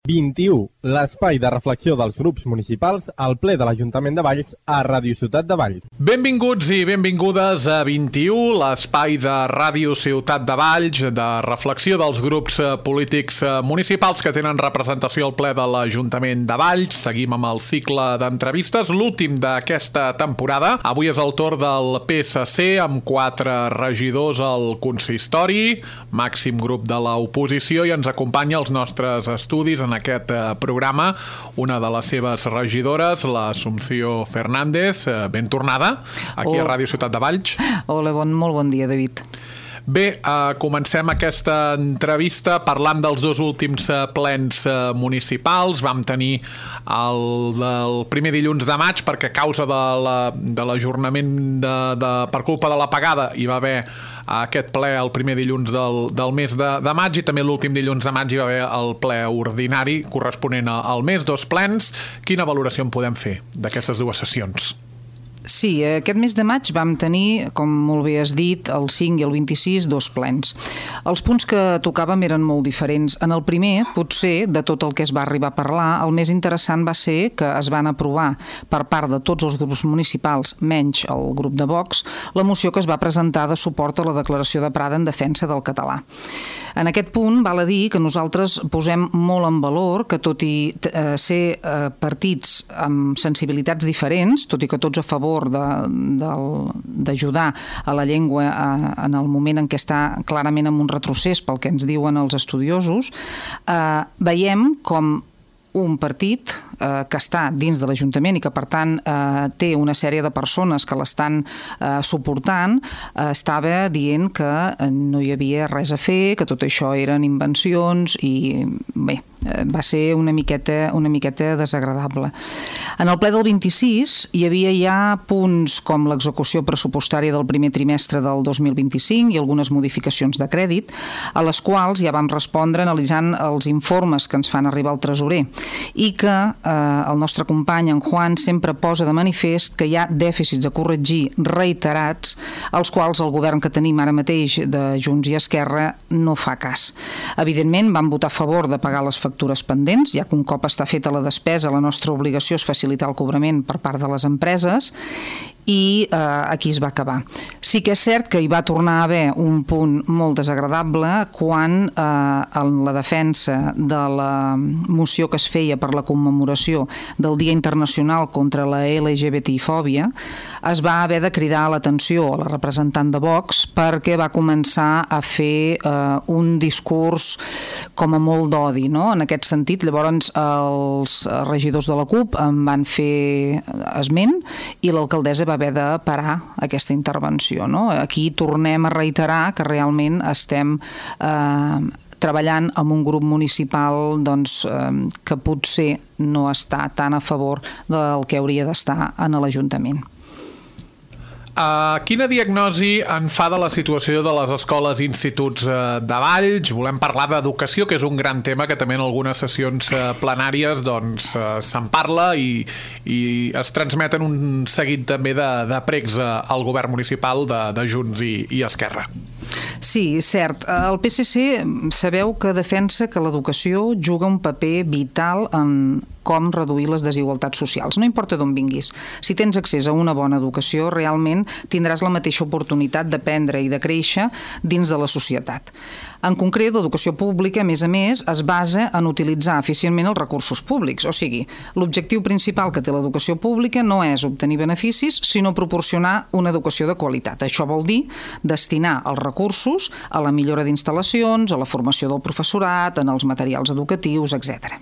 21. L'espai de reflexió dels grups municipals al ple de l'Ajuntament de Valls a Ràdio Ciutat de Valls. Benvinguts i benvingudes a 21, l'espai de Ràdio Ciutat de Valls, de reflexió dels grups polítics municipals que tenen representació al ple de l'Ajuntament de Valls. Seguim amb el cicle d'entrevistes, l'últim d'aquesta temporada. Avui és el torn del PSC, amb 4 regidors al consistori, màxim grup de l'oposició, i ens acompanya als nostres estudis en aquest programa una de les seves regidores, l'Assumpció Fernández. Ben tornada aquí a Ràdio Ciutat de Valls. Hola, molt bon dia, David. Bé, comencem aquesta entrevista parlant dels 2 últims plens municipals. Vam tenir el primer dilluns de maig perquè a causa de l'ajornament per culpa de l'apagada hi va haver aquest ple el primer dilluns del mes de maig, i també l'últim dilluns de maig hi va haver el ple ordinari corresponent al mes, 2 plens. Quina valoració en podem fer d'aquestes 2 sessions? Sí, aquest mes de maig vam tenir, com molt bé has dit, el 5 i el 26, 2 plens. Els punts que tocàvem eren molt diferents. En el primer, potser, de tot el que es va arribar a parlar, el més interessant va ser que es van aprovar per part de tots els grups municipals, menys el grup de Vox, la moció que es va presentar de suport a la declaració de Prada en defensa del català. En aquest punt, val a dir que nosaltres posem molt en valor que, tot i ser partits amb sensibilitats diferents, tot i que tots a favor d'ajudar a la llengua en el moment en què està clarament en un retrocés pel que ens diuen els estudiosos, veiem com un partit que està dins de l'Ajuntament i que, per tant, té una sèrie de persones que l'estan suportant, estava dient que no hi havia res a fer, que tot això eren invencions i, bé, va ser una miqueta desagradable. En el ple del 26 hi havia ja punts com l'execució pressupostària del primer trimestre del 2025 i algunes modificacions de crèdit, a les quals ja vam respondre analitzant els informes que ens fan arribar al tresorer, i que el nostre company, en Juan, sempre posa de manifest que hi ha dèficits a corregir reiterats, als quals el govern que tenim ara mateix de Junts i Esquerra no fa cas. Evidentment, vam votar a favor de pagar les factures pendents, ja que un cop està feta la despesa, la nostra obligació és facilitar el cobrament per part de les empreses, i aquí es va acabar. Sí que és cert que hi va tornar a haver un punt molt desagradable quan en la defensa de la moció que es feia per la commemoració del Dia Internacional contra la LGBTI-fòbia es va haver de cridar l'atenció a la representant de Vox perquè va començar a fer un discurs com a molt d'odi, no? En aquest sentit, llavors els regidors de la CUP en van fer esment i l'alcaldessa va haver de parar aquesta intervenció, no? Aquí tornem a reiterar que realment estem treballant amb un grup municipal que potser no està tan a favor del que hauria d'estar en l'Ajuntament. Quina diagnosi en fa de la situació de les escoles i instituts de Valls? Volem parlar d'educació, que és un gran tema que també en algunes sessions plenàries se'n parla i es transmeten un seguit també de pregs al govern municipal de Junts i Esquerra. Sí, cert. El PSC sabeu que defensa que l'educació juga un paper vital en com reduir les desigualtats socials. No importa d'on vinguis. Si tens accés a una bona educació, realment tindràs la mateixa oportunitat d'aprendre i de créixer dins de la societat. En concret, l'educació pública, a més, es basa en utilitzar eficientment els recursos públics. O sigui, l'objectiu principal que té l'educació pública no és obtenir beneficis, sinó proporcionar una educació de qualitat. Això vol dir destinar els recursos a la millora d'instal·lacions, a la formació del professorat, en els materials educatius, etc.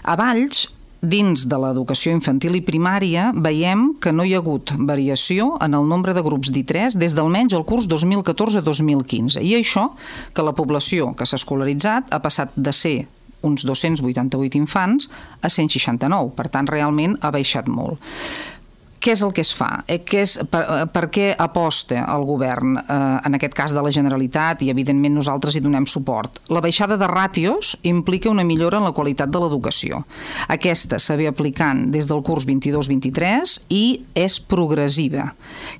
A Valls, dins de l'educació infantil i primària, veiem que no hi ha hagut variació en el nombre de grups d'I3 des d'almenys el curs 2014-2015. I això, que la població que s'ha escolaritzat ha passat de ser uns 288 infants a 169. Per tant, realment ha baixat molt. Què és el que es fa? Per què aposta el govern, en aquest cas de la Generalitat, i evidentment nosaltres hi donem suport? La baixada de ràtios implica una millora en la qualitat de l'educació. Aquesta s'ha aplicant des del curs 22-23 i és progressiva.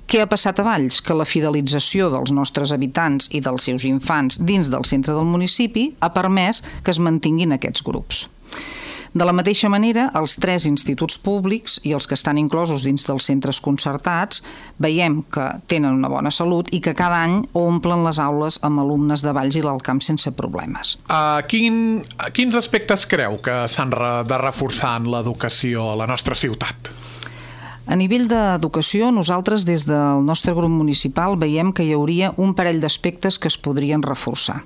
Què ha passat a Valls? Que la fidelització dels nostres habitants i dels seus infants dins del centre del municipi ha permès que es mantinguin aquests grups. De la mateixa manera, els 3 instituts públics i els que estan inclosos dins dels centres concertats veiem que tenen una bona salut i que cada any omplen les aules amb alumnes de Valls i l'Alt Camp sense problemes. Quins aspectes creu que s'han de reforçar en l'educació a la nostra ciutat? A nivell d'educació, nosaltres des del nostre grup municipal veiem que hi hauria un parell d'aspectes que es podrien reforçar.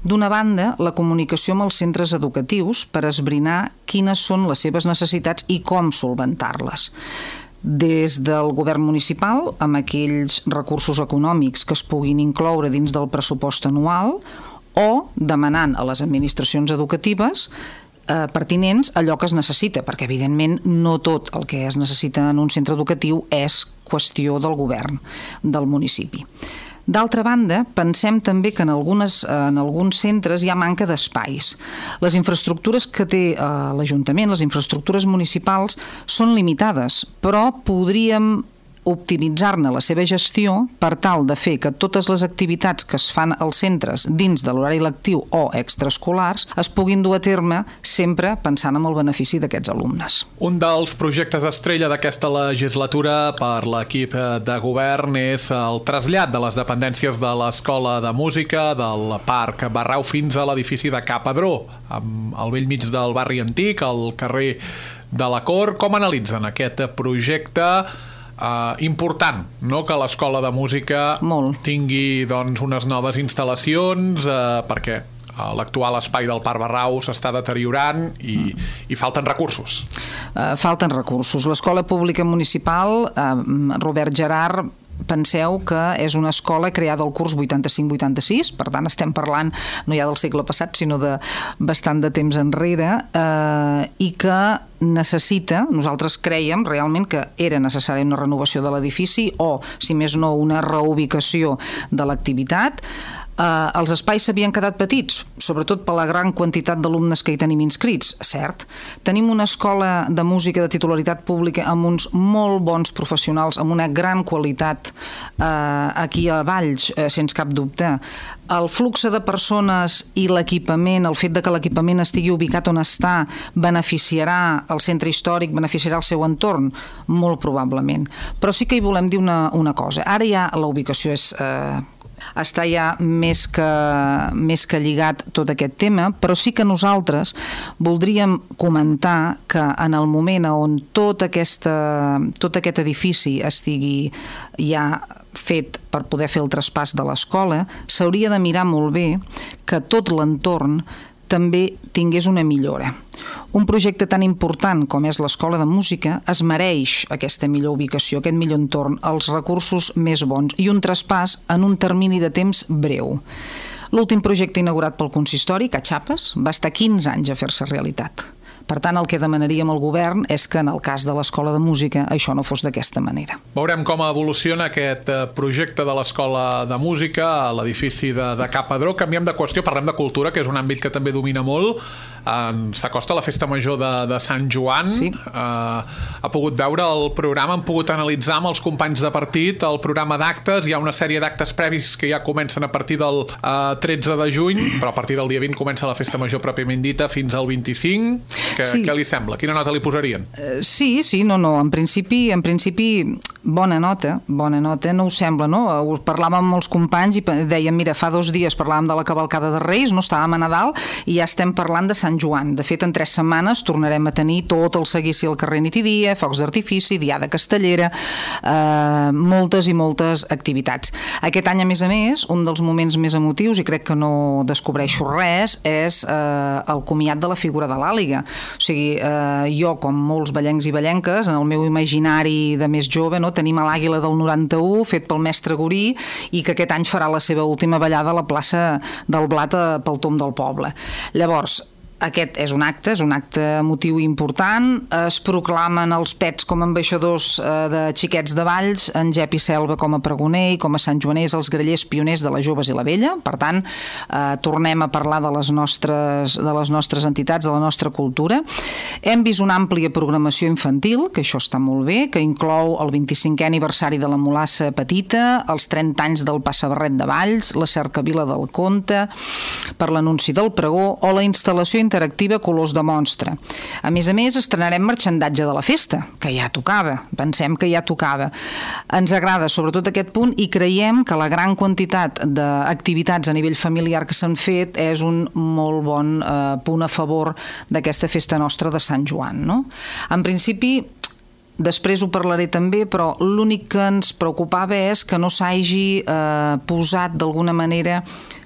D'una banda, la comunicació amb els centres educatius per esbrinar quines són les seves necessitats i com solventar-les. Des del govern municipal, amb aquells recursos econòmics que es puguin incloure dins del pressupost anual, o demanant a les administracions educatives pertinents allò que es necessita, perquè evidentment no tot el que es necessita en un centre educatiu és qüestió del govern del municipi. D'altra banda, pensem també que en alguns centres hi ha manca d'espais. Les infraestructures que té l'Ajuntament, les infraestructures municipals, són limitades, però podríem optimitzar-ne la seva gestió per tal de fer que totes les activitats que es fan als centres dins de l'horari lectiu o extraescolars es puguin dur a terme sempre pensant en el benefici d'aquests alumnes. Un dels projectes estrella d'aquesta legislatura per l'equip de govern és el trasllat de les dependències de l'Escola de Música del Parc Barrau fins a l'edifici de Ca Padró, al bell mig del barri antic, al carrer de la Cort. Com analitzen aquest projecte important, no? Que l'Escola de Música tingui unes noves instal·lacions perquè l'actual espai del Parc Barrau s'està deteriorant i falten recursos. Falten recursos. L'Escola Pública Municipal, Robert Gerard, penseu que és una escola creada al curs 85-86, per tant estem parlant no ja del segle passat, sinó de bastant de temps enrere, i que necessita, nosaltres creiem realment que era necessària una renovació de l'edifici o, si més no, una reubicació de l'activitat. Els espais s'havien quedat petits, sobretot per la gran quantitat d'alumnes que hi tenim inscrits, cert. Tenim una escola de música de titularitat pública amb uns molt bons professionals, amb una gran qualitat aquí a Valls, sense cap dubte. El flux de persones i l'equipament, el fet de que l'equipament estigui ubicat on està, beneficiarà el centre històric, beneficiarà el seu entorn? Molt probablement. Però sí que hi volem dir una cosa. Ara ja la ubicació està ja més que lligat tot aquest tema, però sí que nosaltres voldríem comentar que en el moment on tot aquest edifici estigui ja fet per poder fer el traspàs de l'escola, s'hauria de mirar molt bé que tot l'entorn també tingués una millora. Un projecte tan important com és l'Escola de Música es mereix aquesta millor ubicació, aquest millor entorn, els recursos més bons i un traspàs en un termini de temps breu. L'últim projecte inaugurat pel consistori, Catxapes, va estar 15 anys a fer-se realitat. Per tant, el que demanaríem al govern és que en el cas de l'Escola de Música això no fos d'aquesta manera. Veurem com evoluciona aquest projecte de l'Escola de Música a l'edifici de Ca Padró. Canviem de qüestió, parlem de cultura, que és un àmbit que també domina molt. S'acosta la festa major de Sant Joan. Sí. Ha pogut veure el programa, han pogut analitzar amb els companys de partit el programa d'actes. Hi ha una sèrie d'actes previs que ja comencen a partir del 13 de juny, però a partir del dia 20 comença la festa major pròpiament dita fins al 25. Què li sembla? Quina nota li posarien? Sí, no. En principi, bona nota, no us sembla, no? Parlàvem amb els companys i dèiem, mira, fa 2 dies parlàvem de la cavalcada de Reis, no estàvem a Nadal, i ja estem parlant de Sant Joan. De fet, en 3 setmanes tornarem a tenir tot el seguici al carrer nit i dia, focs d'artifici, diada castellera, moltes i moltes activitats. Aquest any, a més, un dels moments més emotius, i crec que no descobreixo res, és el comiat de la figura de l'Àliga. O sigui, jo, com molts ballencs i ballenques, en el meu imaginari de més jove, tenim l'Àguila del 91, fet pel mestre Gorí, i que aquest any farà la seva última ballada a la plaça del Blat pel Tom del Poble. Llavors, aquest és un acte emotiu important. Es proclamen els pets com a ambaixadors de xiquets de Valls, en Jep i Selva com a pregoner i com a santjoaners els grallers pioners de les joves i la vella. Per tant, tornem a parlar de les nostres entitats, de la nostra cultura. Hem vist una àmplia programació infantil, que això està molt bé, que inclou el 25è aniversari de la Mulassa Petita, els 30 anys del Passabarret de Valls, la cercavila del Conte, per l'anunci del pregó o la instal·lació interactiva colors de monstre. A més, estrenarem marxandatge de la festa, que ja tocava, pensem que ja tocava. Ens agrada sobretot aquest punt i creiem que la gran quantitat d'activitats a nivell familiar que s'han fet és un molt bon punt a favor d'aquesta festa nostra de Sant Joan, no? En principi, després ho parlaré també, però l'únic que ens preocupava és que no s'hagi posat d'alguna manera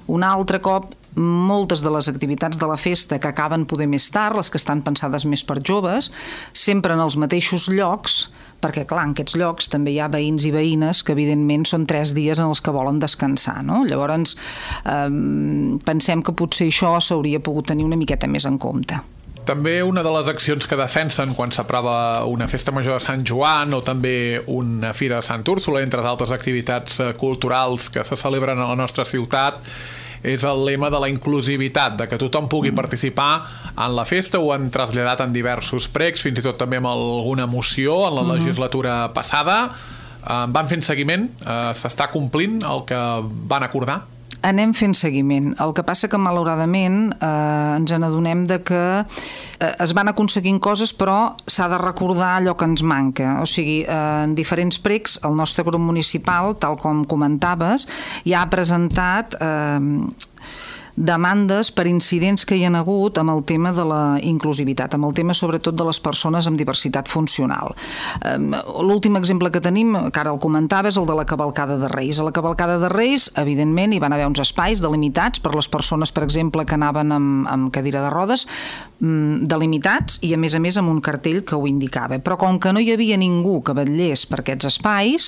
un altre cop moltes de les activitats de la festa que acaben poder més tard, les que estan pensades més per joves, sempre en els mateixos llocs, perquè clar, en aquests llocs també hi ha veïns i veïnes que evidentment són 3 dies en els que volen descansar, no? Llavors pensem que potser això s'hauria pogut tenir una miqueta més en compte. També una de les accions que defensen quan s'aprova una festa major de Sant Joan o també una fira de Sant Úrsula, entre altres activitats culturals que se celebren a la nostra ciutat, és el lema de la inclusivitat, de que tothom pugui participar en la festa. Ho han traslladat en diversos pregs, fins i tot també amb alguna moció en la legislatura passada. Van fent seguiment? S'està complint el que van acordar? Anem fent seguiment. El que passa que, malauradament, ens n'adonem de que es van aconseguint coses, però s'ha de recordar allò que ens manca. O sigui, en diferents pregs, el nostre grup municipal, tal com comentaves, ja ha presentat demandes per incidents que hi ha hagut amb el tema de la inclusivitat, amb el tema sobretot de les persones amb diversitat funcional. L'últim exemple que tenim, que ara el comentava, és el de la cavalcada de Reis. A la cavalcada de Reis, evidentment, hi van haver uns espais delimitats per les persones, per exemple, que anaven amb cadira de rodes, delimitats i a més amb un cartell que ho indicava. Però com que no hi havia ningú que vetllés per aquests espais,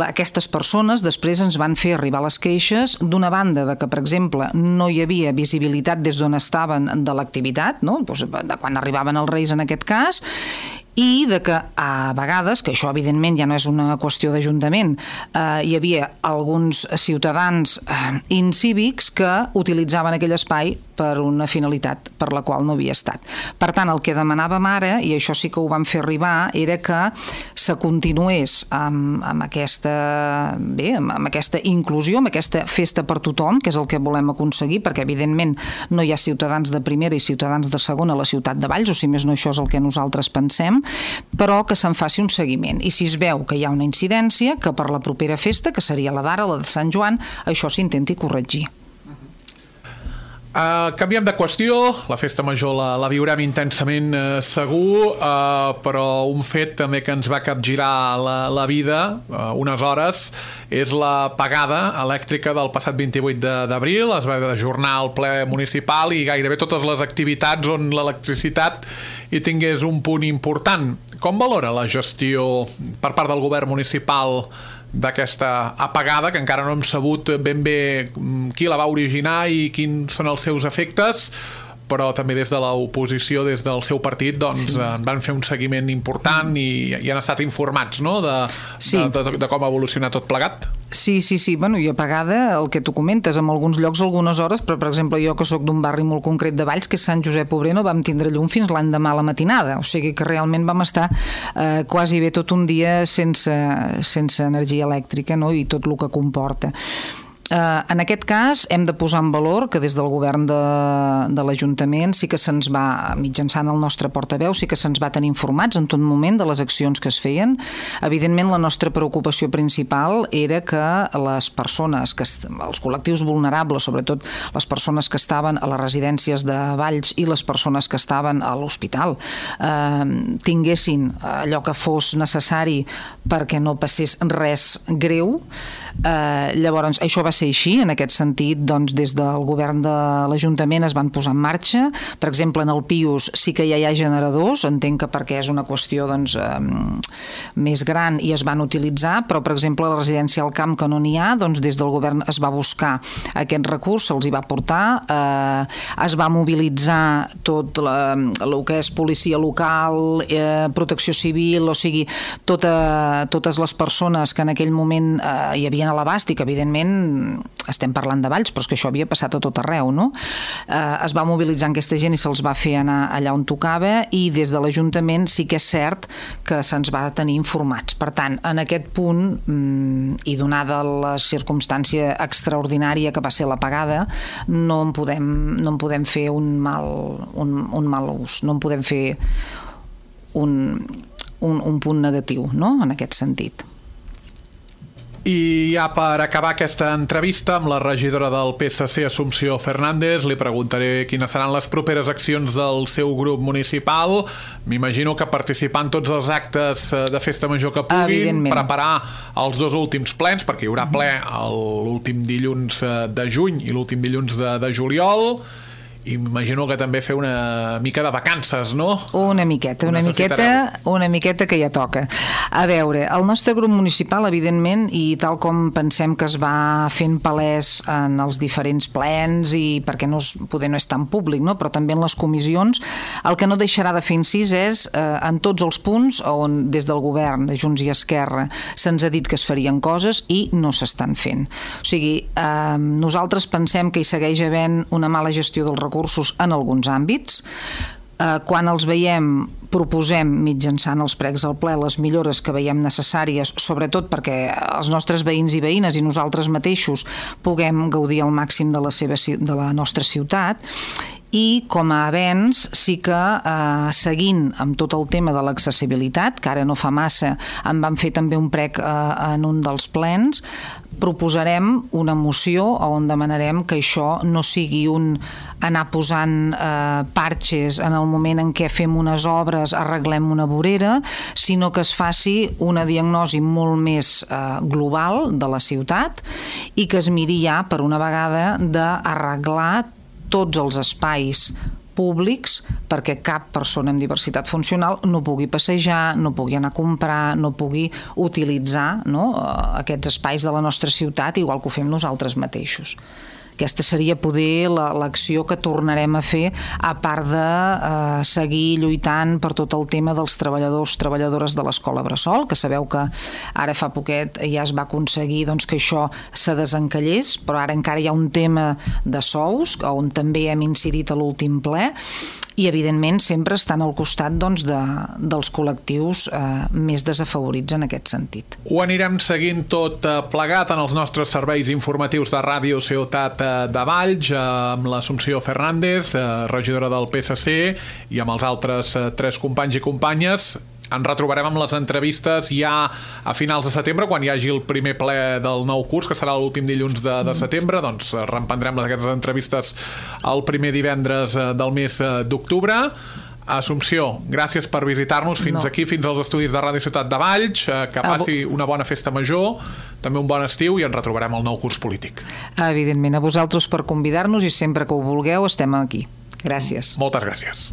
aquestes persones després ens van fer arribar les queixes d'una banda de que, per exemple, no hi havia visibilitat des d'on estaven de l'activitat, no? Doncs de quan arribaven els Reis en aquest cas, i de que a vegades, que això evidentment ja no és una qüestió d'Ajuntament, hi havia alguns ciutadans incívics que utilitzaven aquell espai per una finalitat per la qual no havia estat. Per tant, el que demanàvem ara, i això sí que ho vam fer arribar, era que se continués amb aquesta inclusió, amb aquesta festa per tothom, que és el que volem aconseguir, perquè evidentment no hi ha ciutadans de primera i ciutadans de segona a la ciutat de Valls, o si més no això és el que nosaltres pensem, però que se'n faci un seguiment. I si es veu que hi ha una incidència, que per la propera festa, que seria la d'ara, la de Sant Joan, això s'intenti corregir. Canviem de qüestió, la festa major la viurem intensament segur, però un fet també que ens va capgirar la vida unes hores és l'apagada elèctrica del passat 28 d'abril. Es va ajornar el ple municipal i gairebé totes les activitats on l'electricitat hi tingués un punt important. Com valora la gestió per part del govern municipal d'aquesta apagada, que encara no hem sabut ben bé qui la va originar i quins són els seus efectes, però també des de l'oposició, des del seu partit, doncs van fer un seguiment important i han estat informats, no?, de com ha evolucionat tot plegat. Sí. Bueno, i apagada, el que tu comentes, en alguns llocs algunes hores, però per exemple jo que sóc d'un barri molt concret de Valls, que és Sant Josep Obrer, no vam tindre llum fins l'endemà a la matinada, o sigui que realment vam estar quasi bé tot un dia sense energia elèctrica, no?, i tot el que comporta. En aquest cas hem de posar en valor que des del govern de l'Ajuntament sí que se'ns va, mitjançant el nostre portaveu, sí que se'ns va tenir informats en tot moment de les accions que es feien. Evidentment la nostra preocupació principal era que les persones, els col·lectius vulnerables, sobretot les persones que estaven a les residències de Valls i les persones que estaven a l'hospital, tinguessin allò que fos necessari perquè no passés res greu. Llavors això va ser així, en aquest sentit doncs des del govern de l'Ajuntament es van posar en marxa. Per exemple, en el Pius sí que ja hi ha generadors, entenc que perquè és una qüestió doncs més gran i es van utilitzar, però per exemple a la residència al Camp, que no n'hi ha, doncs des del govern es va buscar aquest recurs, se'ls hi va portar, es va mobilitzar tot el que és policia local, protecció civil, o sigui totes les persones que en aquell moment hi havien a l'abast i que evidentment estem parlant de Valls, però és que això havia passat a tot arreu, no? Es va mobilitzar aquesta gent i se'ls va fer anar allà on tocava, i des de l'Ajuntament sí que és cert que se'ns va tenir informats. Per tant, en aquest punt, i donada la circumstància extraordinària que va ser l'apagada, no en podem fer un mal ús, no en podem fer un punt negatiu, no?, en aquest sentit. I ja per acabar aquesta entrevista amb la regidora del PSC, Assumpció Fernández, li preguntaré quines seran les properes accions del seu grup municipal. M'imagino que participar en tots els actes de festa major que puguin, preparar els 2 últims plens, perquè hi haurà ple l'últim dilluns de juny i l'últim dilluns de juliol, i m'imagino que també fer una mica de vacances, no? Una miqueta que ja toca. A veure, el nostre grup municipal, evidentment, i tal com pensem que es va fent palès en els diferents plens, i perquè poder no és tan públic, no?, però també en les comissions, el que no deixarà de fer incís és en tots els punts on des del govern de Junts i Esquerra se'ns ha dit que es farien coses i no s'estan fent. O sigui, nosaltres pensem que hi segueix havent una mala gestió dels recursos en alguns àmbits. Quan els veiem, proposem mitjançant els pregs al ple les millores que veiem necessàries, sobretot perquè els nostres veïns i veïnes i nosaltres mateixos puguem gaudir al màxim de la nostra ciutat. I com a avenç sí que seguint amb tot el tema de l'accessibilitat, que ara no fa massa en vam fer també un prec en un dels plens, proposarem una moció on demanarem que això no sigui anar posant parxes en el moment en què fem unes obres, arreglem una vorera, sinó que es faci una diagnosi molt més global de la ciutat i que es miri ja per una vegada d'arreglar tots els espais públics perquè cap persona amb diversitat funcional no pugui passejar, no pugui anar a comprar, no pugui utilitzar, no?, aquests espais de la nostra ciutat igual que ho fem nosaltres mateixos. Aquesta seria poder l'acció que tornarem a fer, a part de seguir lluitant per tot el tema dels treballadores de l'Escola Bressol, que sabeu que ara fa poquet ja es va aconseguir que això se desencallés, però ara encara hi ha un tema de sous, on també hem incidit a l'últim ple, i evidentment sempre estan al costat dels col·lectius més desafavorits en aquest sentit. Ho anirem seguint tot plegat en els nostres serveis informatius de Ràdio Ciutat de Valls, amb l'Assumpció Fernández, regidora del PSC, i amb els altres 3 companys i companyes. Ens retrobarem amb les entrevistes ja a finals de setembre, quan hi hagi el primer ple del nou curs, que serà l'últim dilluns de setembre. Doncs reemprendrem aquestes entrevistes el primer divendres del mes d'octubre. Assumpció, gràcies per visitar-nos fins aquí, fins als estudis de Ràdio Ciutat de Valls. Que passi una bona festa major, també un bon estiu, i ens retrobarem al nou curs polític. Evidentment, a vosaltres per convidar-nos, i sempre que ho vulgueu estem aquí. Gràcies. Moltes gràcies.